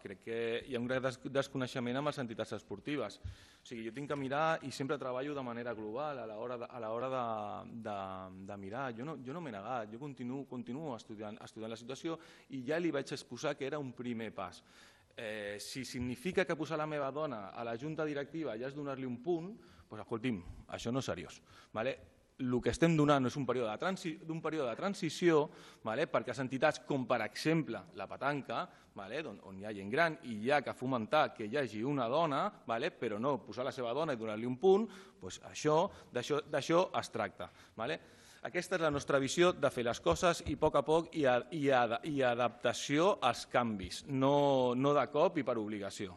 crec que hi ha un gran desconeixement amb les entitats esportives. O sigui, jo tinc que mirar i sempre treballo de manera global a l'hora de mirar. Jo no m'he negat, jo continuo estudiant la situació i ja li vaig exposar que era un primer pas. Si significa que posar la meva dona a la junta directiva ja és donar-li un punt, doncs escolti'm, això no és seriós. El que estem donant és un període de transició perquè les entitats, com per exemple la petanca, on hi ha gent gran i hi ha que fomentar que hi hagi una dona, però no posar la seva dona i donar-li un punt, d'això es tracta. Aquesta és la nostra visió de fer les coses i a poc a poc i adaptació als canvis, no de cop i per obligació.